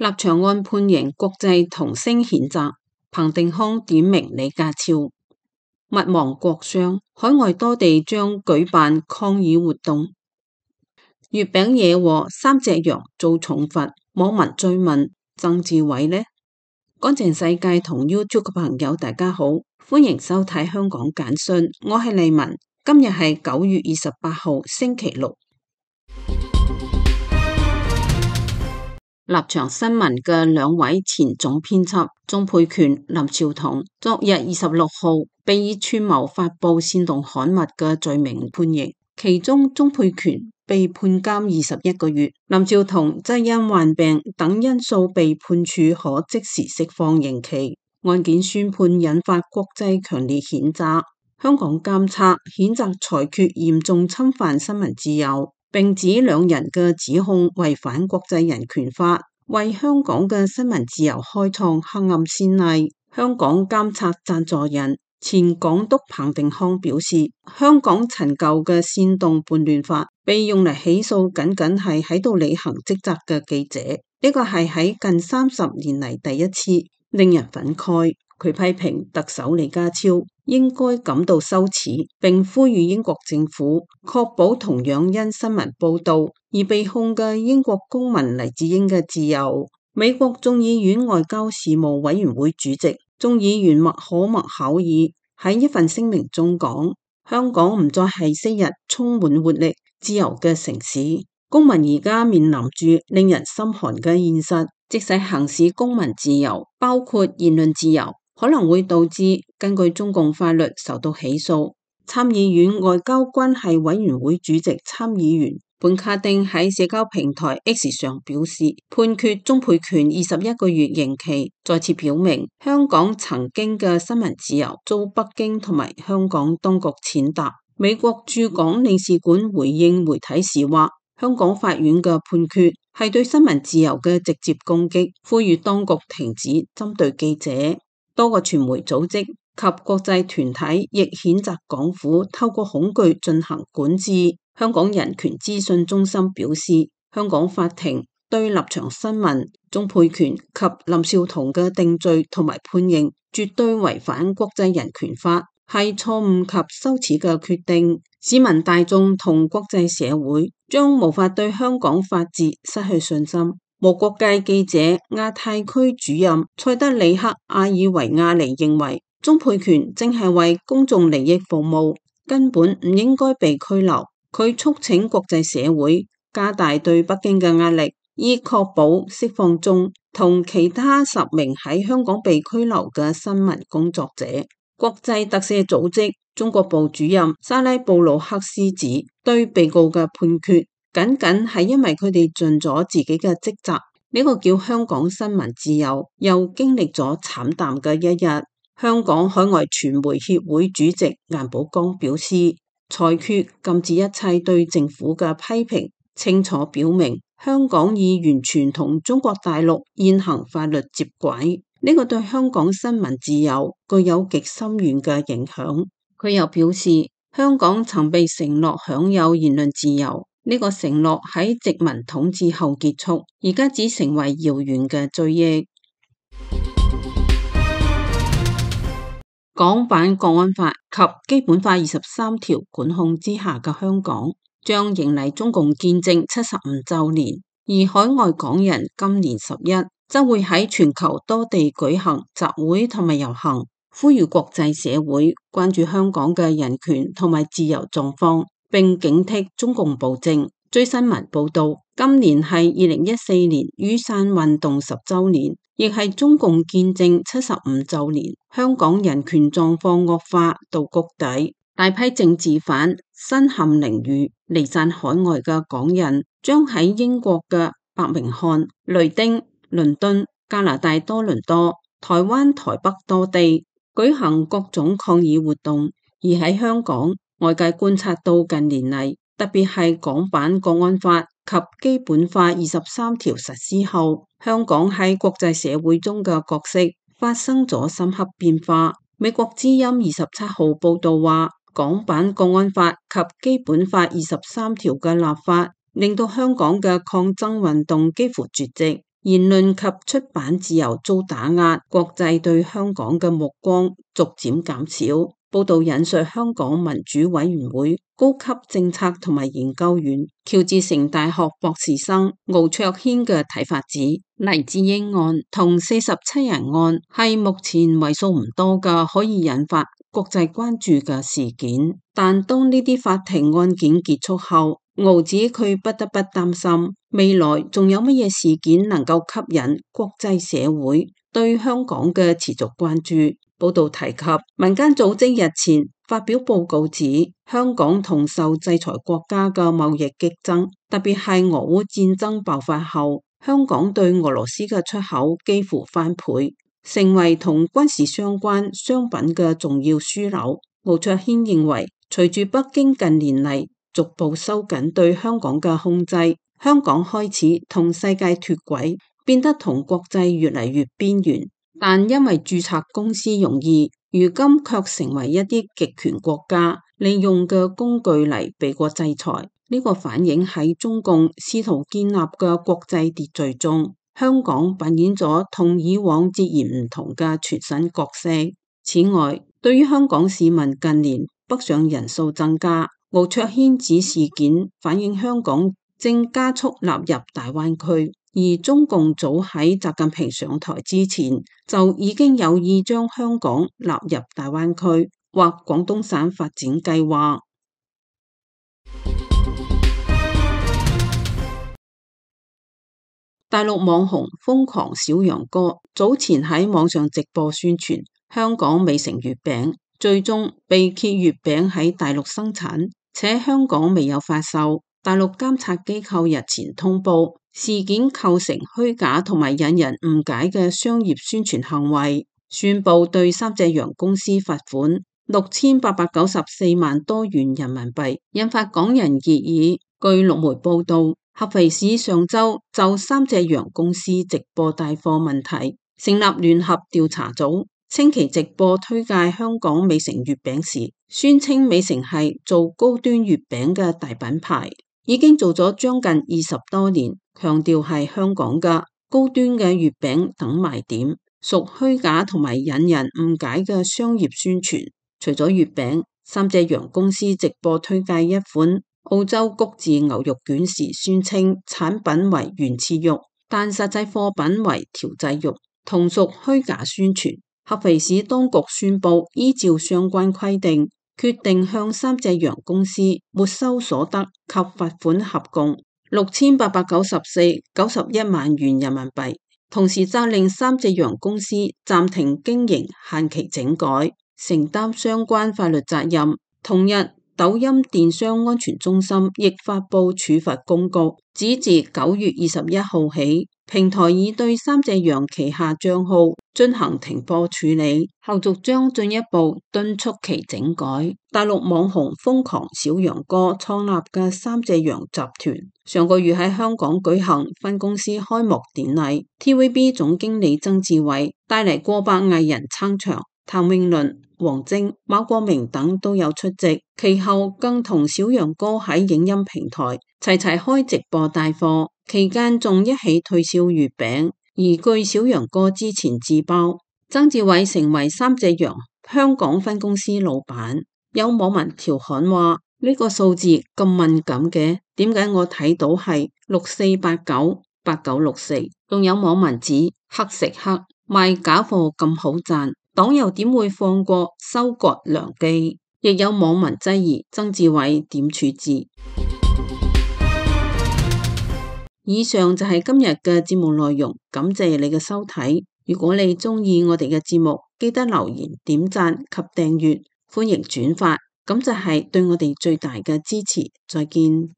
立場案判刑，國際同聲譴責。彭定康點名李家超。勿忘國殤，海外多地將舉辦抗議活動。月餅惹禍，3隻羊遭重罰，網民追問曾志偉呢？乾淨世界同 YouTube 嘅朋友大家好，歡迎收睇香港簡訊，我係麗文。今日係9月28號星期六。立場新聞嘅兩位前總編輯鍾沛權、林紹桐，昨日26號被以串謀發布煽動刊物嘅罪名判刑，其中鍾沛權被判監21個月，林紹桐則因患病等因素被判處可即時釋放刑期。案件宣判引發國際強烈譴責，香港監察譴責裁決嚴重侵犯新聞自由，並指兩人嘅指控違反國際人權法，為香港嘅新聞自由開創黑暗先例。香港監察贊助人前港督彭定康表示，香港陳舊嘅煽動叛亂法被用嚟起訴僅僅係喺度履行職責嘅記者，呢個係喺近30年嚟第一次，令人憤慨。佢批評特首李家超應該感到羞恥，並呼籲英國政府確保同樣因新聞報道而被控嘅英國公民黎智英嘅自由。美國眾議院外交事務委員會主席眾議員麥可麥考爾喺一份聲明中講，香港唔再係昔日充滿活力、自由嘅城市，公民而家面臨住令人心寒嘅現實，即使行使公民自由，包括言論自由，可能會導致根據中共法律受到起訴。參議院外交關係委員會主席參議員本卡丁喺社交平台 X 上表示，判決鍾沛權21個月刑期，再次表明香港曾經嘅新聞自由遭北京同埋香港當局踐踏。美國駐港領事館回應媒體時話，香港法院嘅判決係對新聞自由嘅直接攻擊，呼籲當局停止針對記者。多個傳媒組織及國際團體亦譴責港府透過恐懼進行管治。香港人權資訊中心表示，香港法庭對立場新聞、鍾沛權及林紹桐嘅定罪同埋判刑絕對違反國際人權法，係錯誤及羞恥嘅決定。市民大眾同國際社會將無法對香港法治失去信心。無國界記者亞太區主任塞德里克·阿爾維亞尼認為，鍾沛權正係為公眾利益服務，根本唔應該被拘留。佢促請國際社會加大對北京嘅壓力，以確保釋放中同其他10名喺香港被拘留嘅新聞工作者。國際特赦組織中國部主任沙拉布魯克斯指，對被告嘅判決僅僅係因為佢哋盡咗自己嘅職責，呢個叫香港新聞自由又經歷咗慘淡嘅一日。香港海外傳媒協會主席顏寶剛表示，裁決禁止一切對政府嘅批評，清楚表明香港已完全同中國大陸現行法律接軌，呢個對香港新聞自由具有極深遠嘅影響。佢又表示，香港曾被承諾享有言論自由，呢個承諾喺殖民統治後結束，而家只成為遙遠嘅追憶。港版國安法及基本法23條管控之下嘅香港，將迎嚟中共建政75週年，而海外港人今年11則會喺全球多地舉行集會同埋遊行，呼籲國際社會關注香港嘅人權同埋自由狀況，並警惕中共暴政。最新聞報道，今年係2014年雨傘運動10週年，亦係中共建政75週年。香港人權狀況惡化到谷底，大批政治犯身陷囹圄，離散海外嘅港人將喺英國嘅伯明翰、雷丁、倫敦、加拿大多倫多、台灣台北多地舉行各種抗議活動。而喺香港，外界觀察到近年嚟，特別係港版國安法及基本法23條實施後，香港喺國際社會中嘅角色發生咗深刻變化。美國之音27號報道話，港版國安法及基本法23條嘅立法，令到香港嘅抗爭運動幾乎絕跡。言論及出版自由遭打壓，國際對香港嘅目光逐漸減少。報道引述香港民主委員會高級政策同埋研究員、喬治城大學博士生敖卓軒嘅睇法指，黎智英案同47人案係目前為數唔多嘅可以引發國際關注嘅事件，但當呢啲法庭案件結束後，敖指佢不得不擔心未來仲有乜嘢事件能夠吸引國際社會對香港嘅持續關注。報道提及，民間組織日前發表報告指，香港同受制裁國家嘅貿易激增，特別係俄烏戰爭爆發後，香港對俄羅斯嘅出口幾乎翻倍，成為同軍事相關商品嘅重要樞紐。敖卓軒認為，隨住北京近年嚟逐步收緊對香港嘅控制，香港開始同世界脫軌，變得同國際越嚟越邊緣。但因為註冊公司容易，如今卻成為一啲極權國家利用嘅工具嚟避過制裁。呢個反映喺中共試圖建立嘅國際秩序中，香港扮演咗同以往截然唔同嘅全新角色。此外，對於香港市民近年北上人數增加，敖卓軒指事件反映香港正加速納入大灣區。而中共早喺習近平上台之前，就已經有意將香港納入大灣區或廣東省發展計劃。大陸網紅瘋狂小楊哥早前喺網上直播宣傳香港美成月餅，最終被揭月餅喺大陸生產，且香港未有發售。大陸監察機構日前通報，事件構成虛假同埋引人誤解嘅商業宣傳行為，宣布對三隻洋公司罰款6894萬多元人民幣，引發港人熱議。據陸媒報道，合肥市上週就三隻洋公司直播帶貨問題成立聯合調查組，稱其直播推介香港美成月餅時，宣稱美成係做高端月餅嘅大品牌，已經做咗將近20多年，強調係香港嘅高端嘅月餅等賣點，屬虛假同埋引人誤解嘅商業宣傳。除咗月餅，三隻洋公司直播推介一款澳洲谷字牛肉卷時，宣稱產品為原始肉，但實際貨品為調製肉，同屬虛假宣傳。合肥市當局宣布依照相關規定，決定向三隻洋公司沒收所得及罰款合共6894.91萬元人民幣，同時責令三隻洋公司暫停經營，限期整改，承擔相關法律責任。同日，抖音電商安全中心亦發布處罰公告，指自9月21號起，平台已對三隻洋旗下賬號進行停播處理，後續將進一步敦促其整改。大陸網紅瘋狂小楊哥創立嘅三隻洋集團，上個月喺香港舉行分公司開幕典禮， TVB 總經理曾志偉帶嚟過百藝人撐場，譚詠麟、王晶、馬國明等都有出席，其後更同小楊哥喺影音平台齊齊開直播帶貨，期間仲一起推銷月餅。而據小楊哥之前自曝，曾志偉成為三隻洋香港分公司老闆。有網民調侃話：呢個數字咁敏感嘅，點解我睇到係64898964？仲有網民指黑食黑，賣假貨咁好賺，黨又點會放過收割良機？亦有網民質疑曾志偉點處置。以上就係今日嘅節目內容，感謝你嘅收睇。如果你鍾意我哋嘅節目，記得留言、點讚及訂閱，歡迎轉發，咁就係對我哋最大嘅支持。再見。